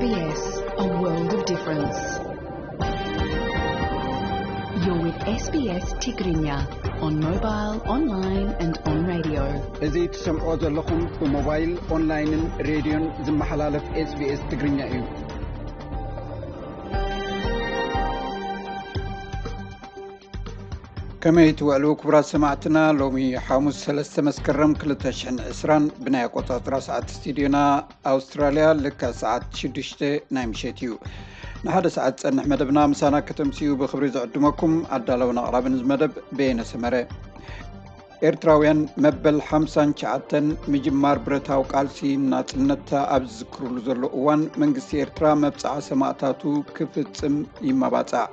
S B S, a world of difference. You're with S B S Tigrinya on mobile, online and on radio. እዚ ትሰምዖ ዘለኹም ብሞባይል፣ ኦንላይንን ሬድዮን ዝመሓላለፍ S B S ትግርኛ እዩ። ከመይ ትውዕሉ ክቡራት ሰማዕትና? ሎሚ ሓሙስ ሰለስተ መስከረም ክልተ ሽሕን ዕስራን ብናይ ኣቆጻጽራ ሰዓት ስቱድዮና ኣውስትራልያ ልክዕ ሰዓት ሽዱሽተ ናይ ምሸት እዩ። ንሓደ ሰዓት ዝጸንሕ መደብና ምሳና ከተምስዩ ብኽብሪ ዝዕድመኩም ኣዳለውን ኣቕራብን እዚ መደብ በየነ ሰመረ። ኤርትራውያን መበል ሓምሳን ትሽዓተን ምጅማር ብረታዊ ቃልሲ ናጽነት ኣብ ዝዝክሩሉ ዘሎ እዋን መንግስቲ ኤርትራ መብጽዓ ሰማእታቱ ክፍጽም ይመባጻዕ።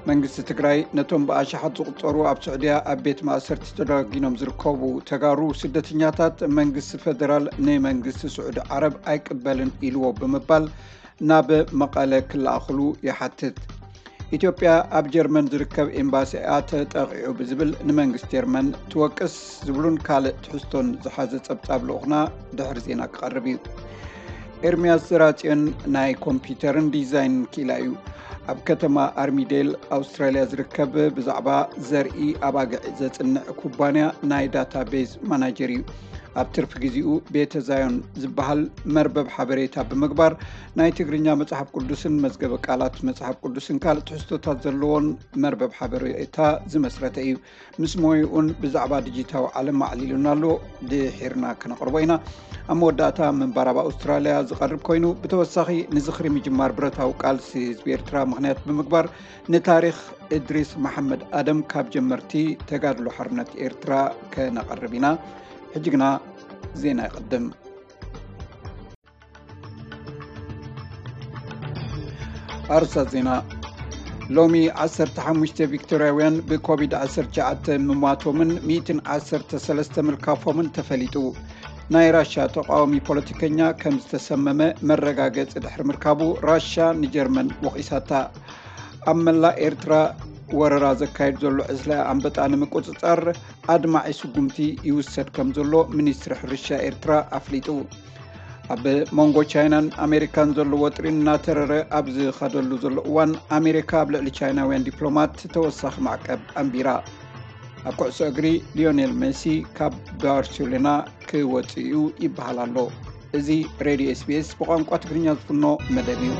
መንግስቲ ትግራይ ነቶም ብኣሽሓት ዝቑጸሩ ኣብ ስዑድያ ኣብ ቤት ማእሰርቲ ተዳጊኖም ዝርከቡ ተጋሩ ስደተኛታት መንግስቲ ፈደራል ንመንግስቲ ስዑዲ ዓረብ ኣይቅበልን ኢልዎ ብምባል ናብ መቐለ ክለኣኽሉ ይሓትት። ኢትዮጵያ ኣብ ጀርመን ዝርከብ ኤምባሲኣ ተጠቒዑ ብዝብል ንመንግስቲ ጀርመን ትወቅስ ዝብሉን ካልእ ትሕዝቶን ዝሓዘ ጸብጻብ ልኡኽና ድሕሪ ዜና ክቐርብ እዩ። ኤርምያስ ዘራጽዮን ናይ ኮምፒውተርን ዲዛይንን ክኢላ እዩ። ኣብ ከተማ ኣርሚዴል ኣውስትራልያ ዝርከብ ብዛዕባ ዘርኢ ኣባግዕ ዘጽንዕ ኩባንያ ናይ ዳታቤዝ ማናጀር እዩ። ኣብ ትርፊ ግዜኡ ቤተ ዛዮን ዝበሃል መርበብ ሓበሬታ ብምግባር ናይ ትግርኛ መጽሓፍ ቅዱስን መዝገበ ቃላት መጽሓፍ ቅዱስን ካልእ ትሕዝቶታት ዘለዎን መርበብ ሓበሬታ ዝመስረተ እዩ። ምስ ሞይኡን ብዛዕባ ዲጂታዊ ዓለም ኣዕሊሉን ኣሎ። ድሒርና ከነቕርቦ ኢና። ኣብ መወዳእታ ምንባር ኣብ ኣውስትራልያ ዝቐርብ ኮይኑ፣ ብተወሳኺ ንዝኽሪ ምጅማር ብረታዊ ቃልሲ ህዝቢ ኤርትራ ምኽንያት ብምግባር ንታሪኽ እድሪስ መሓመድ ኣደም ካብ ጀመርቲ ተጋድሎ ሓርነት ኤርትራ ከነቐርብ ኢና። ሕጂ ግና ዜና ይቕድም። ኣርእስታት ዜና። ሎሚ ዓሰርተ ሓሙሽተ ቪክቶርያውያን ብኮቪድ ዓሰርተ ትሽዓተ ምሟቶምን ሚእትን ዓሰርተ ሰለስተ ምልካፎምን ተፈሊጡ። ናይ ራሻ ተቃዋሚ ፖለቲከኛ ከም ዝተሰመመ መረጋገጺ ድሕሪ ምርካቡ ራሻ ንጀርመን ወቒሳታ። ኣብ መላእ ኤርትራ ወረራ ዘካየድ ዘሎ ዕስለ ኣንበጣ ንምቁጽጻር ኣድማዒ ስጉምቲ ይውሰድ ከም ዘሎ ሚኒስትሪ ሕርሻ ኤርትራ ኣፍሊጡ። ኣብ መንጎ ቻይናን ኣሜሪካን ዘሎ ወጥሪ እናተረረ ኣብ ዝኸደሉ ዘሎ እዋን፣ ኣሜሪካ ኣብ ልዕሊ ቻይናውያን ዲፕሎማት ተወሳኺ ማዕቀብ ኣንቢራ። ኣብ ኩዕሶ እግሪ፣ ሊዮኔል ሜሲ ካብ ባርሴሎና ክወጽእ እዩ ይበሃል ኣሎ። እዚ ሬድዮ S B S ብቋንቋ ትግርኛ ዝፍኖ መደብ እዩ።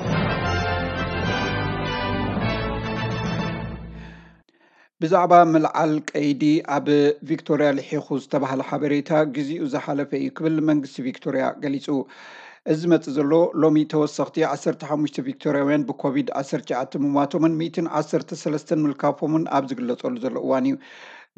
ብዛዕባ ምልዓል ቀይዲ ኣብ ቪክቶርያ ልሒኹ ዝተባህለ ሓበሬታ ግዜኡ ዝሓለፈ እዩ ክብል መንግስቲ ቪክቶርያ ገሊጹ። እዚ ዝመጽእ ዘሎ ሎሚ ተወሰኽቲ ዓሰርተ ሓሙሽተ ቪክቶርያውያን ብኮቪድ ዓሰርተ ትሽዓተ ምሟቶምን ሚእትን ዓሰርተ ሰለስተን ምልካፎምን ኣብ ዝግለጸሉ ዘሎ እዋን እዩ።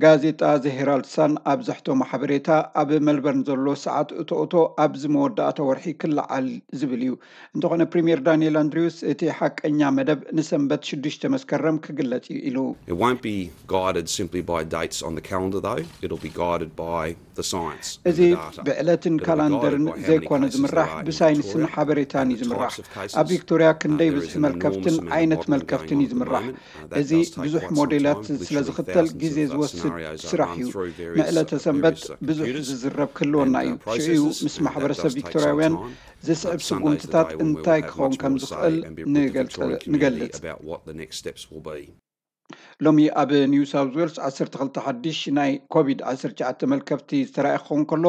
ጋዜጣ ዘ ሄራልድ ሳን ኣብ ዘሕተሞ ሓበሬታ፣ ኣብ መልበርን ዘሎ ሰዓት እቶ እቶ ኣብዚ መወዳእታ ወርሒ ክለዓል ዝብል እዩ። እንተኾነ ፕሪምየር ዳንኤል ኣንድሪውስ እቲ ሓቀኛ መደብ ንሰንበት ሽዱሽተ መስከረም ክግለጽ እዩ ኢሉ። It won't be guided simply by dates on the calendar, though. It'll be guided by the science and እዚ the data. ብዕለትን It'll be ካላንደርን guided by how many ዘይኮነ cases ዝምራሕ there are in ብሳይንስን Victoria ሓበሬታን እዩ and the ዝምራሕ። Types of cases. ኣብ ቪክቶርያ Uh, ክንደይ there ብዝሒ is an መልከፍትን enormous amount ዓይነት of modelling መልከፍትን going እዩ on at the ዝምራሕ። Moment. Uh, that እዚ does take ብዙሕ quite some ሞዴላት time. ስለ Literally ዝኽተል thousands ግዜ of ዝወስድ scenarios are ስራሕ run እዩ። through various ምዕለተ ሰንበት supercomputers. ብዙሕ ዝዝረብ ክህልወና እዩ። ሽዑ ምስ ማሕበረሰብ ቪክቶርያውያን ዝስዕብ ስጉምትታት እንታይ ክኸውን ከም ዝኽእል ንገልጽ። About what the next steps will be. ሎሚ ኣብ ኒው ሳውዝ ዌልስ ዓሰርተ ክልተ ሓድሽ ናይ ኮቪድ ዓሰርተ ትሽዓተ መልከፍቲ ዝተራእየ ክኸውን ከሎ፣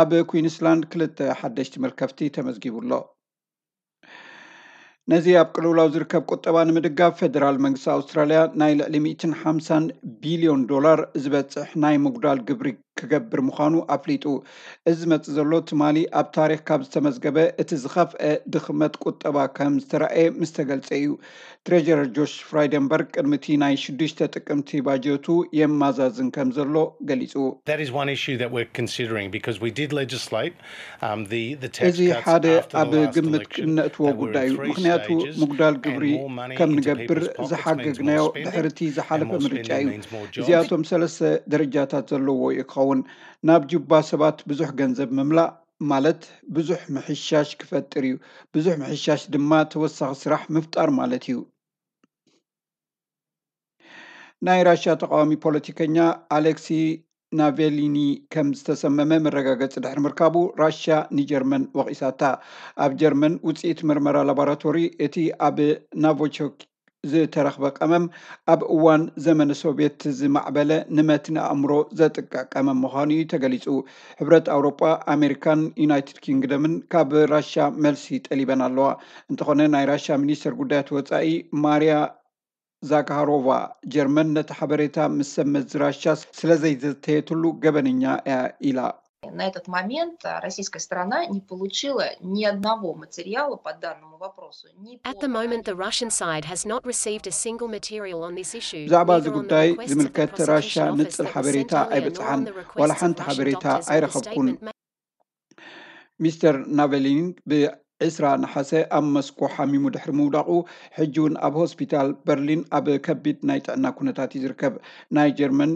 ኣብ ኩዊንስላንድ ክልተ ሓደሽቲ መልከፍቲ ተመዝጊቡ ኣሎ። ነዚ ኣብ ቅልውላው ዝርከብ ቁጠባ ንምድጋፍ፣ ፌደራል መንግስቲ ኣውስትራልያ ናይ ልዕሊ ሚእትን ሓምሳን ቢልዮን ዶላር ዝበጽሕ ናይ ምጉዳል ግብሪ ክገብር ምዃኑ ኣፍሊጡ። እዚ ዝመጽእ ዘሎ ትማሊ ኣብ ታሪኽ ካብ ዝተመዝገበ እቲ ዝኸፍአ ድኽመት ቁጠባ ከም ዝተራእየ ምስ ተገልጸ እዩ። ትሬጀረር ጆሽ ፍራይደንበርግ ቅድሚ እቲ ናይ ሽዱሽተ ጥቅምቲ ባጀቱ የማዛዝን ከም ዘሎ ገሊጹ። That is one issue that we're considering because we did legislate እዚ ሓደ ኣብ ግምት እነእትዎ ጉዳይ እዩ። ምኽንያቱ ምጉዳል ግብሪ ከም ንገብር ዝሓገግናዮ ድሕርቲ ዝሓለፈ ምርጫ እዩ። እዚኣቶም ሰለስተ ደረጃታት ዘለዎ እዩ ክኸውን። ናብ ጁባ ሰባት ብዙሕ ገንዘብ ምምላእ ማለት ብዙሕ ምሕሻሽ ክፈጥር እዩ። ብዙሕ ምሕሻሽ ድማ ተወሳኺ ስራሕ ምፍጣር ማለት እዩ። ናይ ራሽያ ተቃዋሚ ፖለቲከኛ ኣሌክሲ ናቬሊኒ ከም ዝተሰመመ መረጋገፂ ድሕሪ ምርካቡ፣ ራሽያ ንጀርመን ወቒሳታ። ኣብ ጀርመን ውፅኢት ምርመራ ላቦራቶሪ፣ እቲ ኣብ ናቮቾክ ዝተረኽበ ቀመም፣ ኣብ እዋን ዘመነ ሶቪየት ዝማዕበለ ንመትኒ ኣእምሮ ዘጥቅዕ ቀመም ምዃኑ እዩ ተገሊጹ። ሕብረት ኣውሮጳ፣ ኣሜሪካን ዩናይትድ ኪንግደምን ካብ ራሻ መልሲ ጠሊበን ኣለዋ። እንተኾነ፣ ናይ ራሻ ሚኒስተር ጉዳያት ወጻኢ ማርያ ዛካሮቫ፣ ጀርመን ነቲ ሓበሬታ ምስ ሰብ መዚ ራሻ ስለ ዘይዘተየትሉ ገበነኛ እያ ኢላ። На этот момент российская сторона не получила ни одного материала по данному вопросу. At the moment, the Russian side has not received a single material on this issue. ብዛዕባ እዚ ጉዳይ ዝምልከት ራሻ ንጽል ሓበሬታ ኣይበጽሓን፣ ዋላ ሓንቲ ሓበሬታ ኣይረኸብኩን። ሚስተር ናቨሊን ብ ዕስራ ነሓሰ ኣብ መስኮ ሓሚሙ ድሕሪ ምውዳቑ፣ ሕጂ እውን ኣብ ሆስፒታል በርሊን ኣብ ከቢድ ናይ ጥዕና ኩነታት እዩ ዝርከብ። ናይ ጀርመን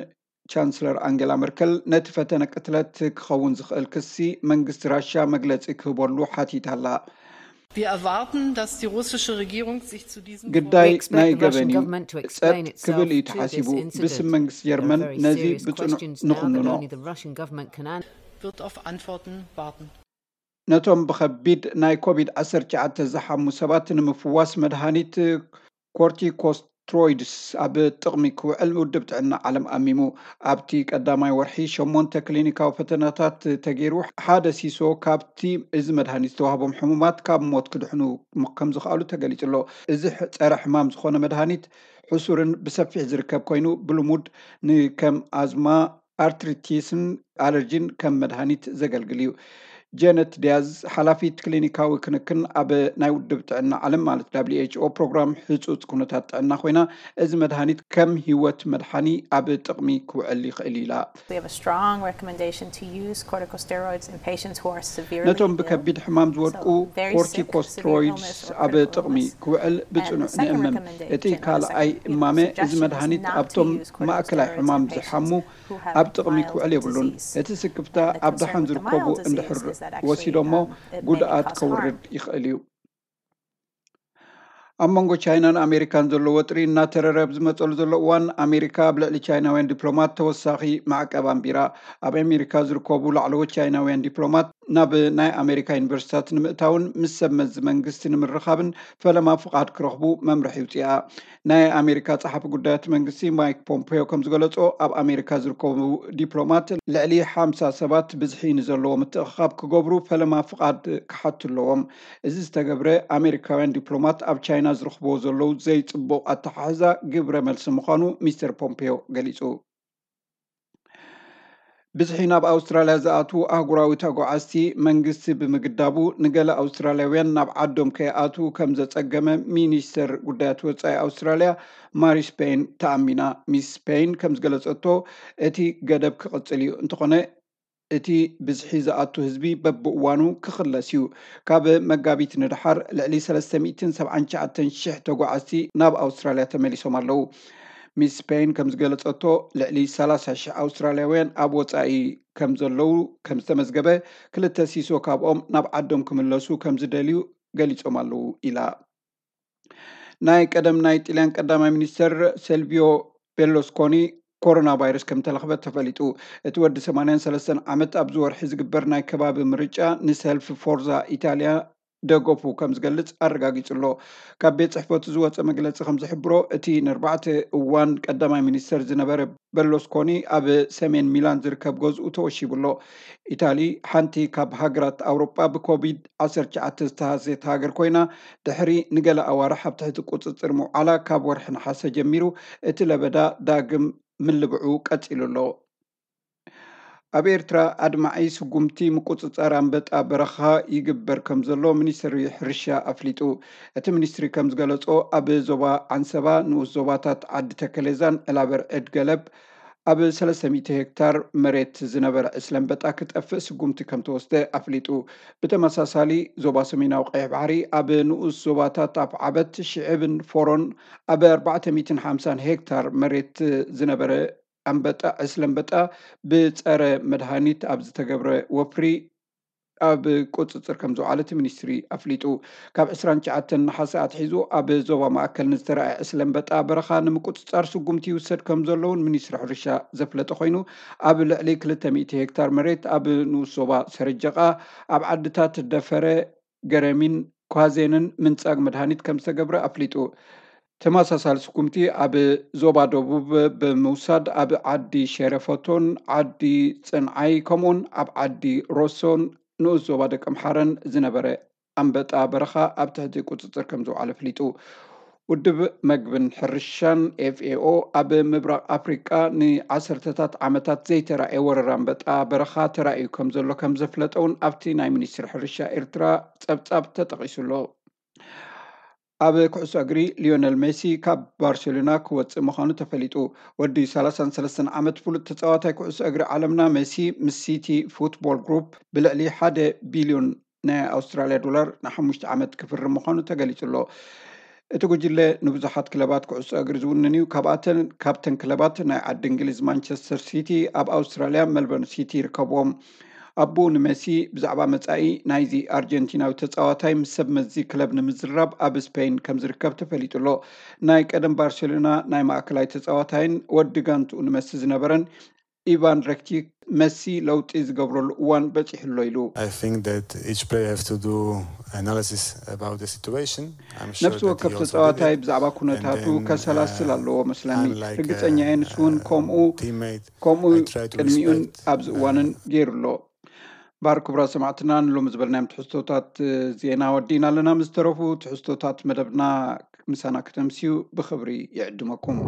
ቻንስለር ኣንገላ መርከል፣ ነቲ ፈተነ ቅትለት ክኸውን ዝኽእል ክሲ መንግስቲ ራሽያ መግለጺ ክህበሉ ሓቲታ ኣላ። Wir erwarten, dass die russische Regierung sich zu diesem ግዳይ ናይ ገበን እዩ። ጸጥ ክብል እዩ ተሓሲቡ። ብስም መንግስቲ ጀርመን ነዚ ብጽኑዕ ንኹንኖ። Wird auf Antworten warten. ነቶም ብኸቢድ ናይ ኮቪድ ዓሰርተ ትሽዓተ ዝሓሙ ሰባት ንምፍዋስ መድሃኒት ኮርቲኮስትሮይድስ ኣብ ጥቕሚ ክውዕል ውድብ ጥዕና ዓለም ኣሚሙ። ኣብቲ ቀዳማይ ወርሒ ሸሞንተ ክሊኒካዊ ፈተናታት ተገይሩ፣ ሓደ ሲሶ ካብቲ እዚ መድሃኒት ዝተዋህቦም ሕሙማት ካብ ሞት ክድሕኑ ከም ዝኽኣሉ ተገሊጹ ኣሎ። እዚ ጸረ ሕማም ዝኾነ መድሃኒት ሕሱርን ብሰፊሕ ዝርከብ ኮይኑ፣ ብልሙድ ንከም ኣዝማ፣ ኣርትሪቲስን ኣለርጂን ከም መድሃኒት ዘገልግል እዩ። ጀነት ዲያዝ፣ ሓላፊት ክሊኒካዊ ክንክን ኣብ ናይ ውድብ ጥዕና ዓለም ማለት ደብሊው ኤች ኦ ፕሮግራም ህጹጽ ኩነታት ጥዕና ኮይና፣ እዚ መድሃኒት ከም ህይወት መድሓኒ ኣብ ጥቕሚ ክውዕል ይኽእል እዩ ኢላ። We have a strong recommendation to use corticosteroids in patients who are severely ነቶም ill. ብከቢድ ሕማም ዝወድቁ So very sick, ኮርቲኮስትሮይድስ severe illness or ኣብ critical ጥቕሚ illness. ክውዕል ብጽኑዕ And the second ንእምም። recommendation እቲ or the ካልኣይ second እማመ፣ እዚ suggestion is መድሃኒት not to ኣብቶም use corticosteroids ማእከላይ in ሕማም patients ዝሓሙ who have ኣብ ጥቕሚ mild ክውዕል የብሉን። disease. እቲ ስክፍታ And the ኣብ concern ደሓን with the ዝርከቡ mild disease እንድሕር is that actually, ወሲዶሞ um, it may ጉድኣት cause ከውርድ harm. ይኽእል እዩ። ኣብ መንጎ ቻይናን ኣሜሪካን ዘሎ ወጥሪ እናተረረ ኣብ ዝመፀሉ ዘሎ እዋን፣ ኣሜሪካ ኣብ ልዕሊ ቻይናውያን ዲፕሎማት ተወሳኺ ማዕቀብ ኣንቢራ። ኣብ ኣሜሪካ ዝርከቡ ላዕለዎት ቻይናውያን ዲፕሎማት ናብ ናይ ኣሜሪካ ዩኒቨርሲታት ንምእታውን ምስ ሰብ መዚ መንግስቲ ንምርኻብን ፈለማ ፍቓድ ክረኽቡ መምርሒ ውፅኣ። ናይ ኣሜሪካ ጸሓፊ ጉዳያት መንግስቲ ማይክ ፖምፔዮ ከም ዝገለጾ፣ ኣብ ኣሜሪካ ዝርከቡ ዲፕሎማት ልዕሊ ሓምሳ ሰባት ብዝሒ ንዘለዎ ምትእኽኻብ ክገብሩ ፈለማ ፍቓድ ክሓቱ ኣለዎም። እዚ ዝተገብረ፣ ኣሜሪካውያን ዲፕሎማት ኣብ ቻይና ዝረኽብዎ ዘለዉ ዘይጽቡቕ ኣተሓሕዛ ግብረ መልሲ ምዃኑ ሚስተር ፖምፔዮ ገሊጹ። ብዝሒ ናብ ኣውስትራልያ ዝኣትዉ ኣህጉራዊ ተጓዓዝቲ መንግስቲ ብምግዳቡ፣ ንገለ ኣውስትራልያውያን ናብ ዓዶም ከይኣትዉ ከም ዘጸገመ ሚኒስተር ጉዳያት ወጻኢ ኣውስትራልያ ማሪስ ፔይን ተኣሚና። ሚስ ፔይን ከም ዝገለጸቶ፣ እቲ ገደብ ክቕጽል እዩ። እንተኾነ፣ እቲ ብዝሒ ዝኣቱ ህዝቢ በብእዋኑ ክኽለስ እዩ። ካብ መጋቢት ንደሓር ልዕሊ ሰለስተ ሚእትን ሰብዓን ትሽዓተን ሽሕ ተጓዓዝቲ ናብ ኣውስትራልያ ተመሊሶም ኣለዉ። ሚስ ፔይን ከም ዝገለጸቶ፣ ልዕሊ ሰላሳ ሽሕ ኣውስትራልያውያን ኣብ ወጻኢ ከም ዘለዉ ከም ዝተመዝገበ፣ ክልተ ሲሶ ካብኦም ናብ ዓዶም ክምለሱ ከም ዝደልዩ ገሊጾም ኣለዉ ኢላ። ናይ ቀደም ናይ ጥልያን ቀዳማይ ሚኒስተር ሰልቪዮ ቤርሉስኮኒ ኮሮና ቫይረስ ከም ተለኽበ ተፈሊጡ። እቲ ወዲ ሰማንያን ሰለስተን ዓመት ኣብዚ ወርሒ ዝግበር ናይ ከባቢ ምርጫ ንሰልፊ ፎርዛ ኢታልያ ደገፉ ከም ዝገልጽ ኣረጋጊጹ ኣሎ። ካብ ቤት ጽሕፈቱ ዝወጸ መግለጺ ከም ዝሕብሮ፣ እቲ ንኣርባዕተ እዋን ቀዳማይ ሚኒስተር ዝነበረ በርሉስኮኒ ኣብ ሰሜን ሚላን ዝርከብ ገዝኡ ተወሺቡ ኣሎ። ኢታሊ ሓንቲ ካብ ሃገራት ኣውሮጳ ብኮቪድ ዓሰርተ ትሽዓተ ዝተሃስየት ሃገር ኮይና፣ ድሕሪ ንገለ ኣዋርሕ ኣብ ትሕቲ ቁጽጽር ምውዓላ፣ ካብ ወርሒ ነሓሰ ጀሚሩ እቲ ለበዳ ዳግም ምልብዑ ቀጺሉ ኣሎ። ኣብ ኤርትራ ኣድማዒ ስጉምቲ ምቁጽጻር ኣንበጣ በረኻ ይግበር ከም ዘሎ ሚኒስትሪ ሕርሻ ኣፍሊጡ። እቲ ሚኒስትሪ ከም ዝገለጾ፣ ኣብ ዞባ ዓንሰባ፣ ንኡስ ዞባታት ዓዲ ተከሌዛን ዕላበር ዕድ ገለብ ኣብ ሰለስተ ሚእቲ ሄክታር መሬት ዝነበረ ዕስለ ኣንበጣ ክጠፍእ ስጉምቲ ከም ተወስደ ኣፍሊጡ። ብተመሳሳሊ፣ ዞባ ሰሜናዊ ቀይሕ ባሕሪ ኣብ ንኡስ ዞባታት ኣፍዓበት፣ ሽዕብን ፎሮን ኣብ ኣርባዕተ ሚእትን ሓምሳን ሄክታር መሬት ዝነበረ ኣንበጣ፣ ዕስለ ኣንበጣ ብጸረ መድሃኒት ኣብ ዝተገብረ ወፍሪ ኣብ ቁፅፅር ከም ዝውዓለ እቲ ሚኒስትሪ ኣፍሊጡ። ካብ ዕስራን ትሽዓተን ነሓሰ ኣትሒዙ ኣብ ዞባ ማእከል ንዝተረኣየ ዕስለ ኣንበጣ በረኻ ንምቁፅፃር ስጉምቲ ይውሰድ ከም ዘለውን ሚኒስትሪ ሕርሻ ዘፍለጠ ኮይኑ፣ ኣብ ልዕሊ ክልተ ሚእቲ ሄክታር መሬት ኣብ ንኡስ ዞባ ሰረጀቓ፣ ኣብ ዓድታት ደፈረ፣ ገረሚን ኳዜንን ምንጻግ መድሃኒት ከም ዝተገብረ ኣፍሊጡ። ተመሳሳሊ ስጉምቲ ኣብ ዞባ ደቡብ ብምውሳድ ኣብ ዓዲ ሸረፈቶን ዓዲ ጽንዓይ ከምኡውን ኣብ ዓዲ ሮሶን ንኡስ ዞባ ደቂ ኣምሓረን ዝነበረ ኣንበጣ በረኻ ኣብ ትሕቲ ቁጽጽር ከም ዝውዓለ ኣፍሊጡ። ውድብ መግብን ሕርሻን ኤፍ ኤ ኦ ኣብ ምብራቕ ኣፍሪቃ ንዓሰርተታት ዓመታት ዘይተራእየ ወረራ ኣንበጣ በረኻ ተራእዩ ከም ዘሎ ከም ዘፍለጠ እውን ኣብቲ ናይ ሚኒስትሪ ሕርሻ ኤርትራ ጸብጻብ ተጠቒሱ ኣሎ። ኣብ ኩዕሶ እግሪ ሊዮነል ሜሲ ካብ ባርሴሎና ክወጽእ ምዃኑ ተፈሊጡ። ወዲ ሰላሳን ሰለስተን ዓመት ፍሉጥ ተጻዋታይ ኩዕሶ እግሪ ዓለምና ሜሲ ምስ ሲቲ ፉትቦል ግሩፕ ብልዕሊ ሓደ ቢልዮን ናይ ኣውስትራልያ ዶላር ንሓሙሽተ ዓመት ክፍርም ምዃኑ ተገሊጹ ኣሎ። እቲ ጉጅለ ንብዙሓት ክለባት ኩዕሶ እግሪ ዝውንን እዩ። ካብኣተን ካብተን ክለባት ናይ ዓዲ እንግሊዝ ማንቸስተር ሲቲ፣ ኣብ ኣውስትራልያ ሜልበርን ሲቲ ይርከብዎም። ኣቦኡ ንሜሲ ብዛዕባ መጻኢ ናይዚ ኣርጀንቲናዊ ተጻዋታይ ምስ ሰብ መዚ ክለብ ንምዝራብ ኣብ ስፔን ከም ዝርከብ ተፈሊጡ ኣሎ። ናይ ቀደም ባርሴሎና ናይ ማእከላይ ተጻዋታይን ወዲ ጋንትኡ ንመሲ ዝነበረን ኢቫን ረኪቲክ፣ መሲ ለውጢ ዝገብረሉ እዋን በጺሑ ኣሎ ኢሉ። I think that each player have to do analysis about the situation. I'm sure ነፍሲ that ወከፍ he also did ተጻዋታይ it. ብዛዕባ ኩነታቱ And then, ከሰላስል uh, ኣለዎ መስለኒ። unlike, ርግጸኛ እየ ንሱ እውን uh, ከምኡ teammate, ከምኡ I try to ቅድሚኡን respect, ኣብዚ እዋንን uh, ገይሩ ኣሎ። ባር ክቡራት ሰማዕትና፣ ንሎሚ ዝበልናዮም ትሕዝቶታት ዜና ወዲእና ኣለና። ምስ ተረፉ ትሕዝቶታት መደብና ምሳና ከተምስዩ ብኽብሪ ይዕድመኩም።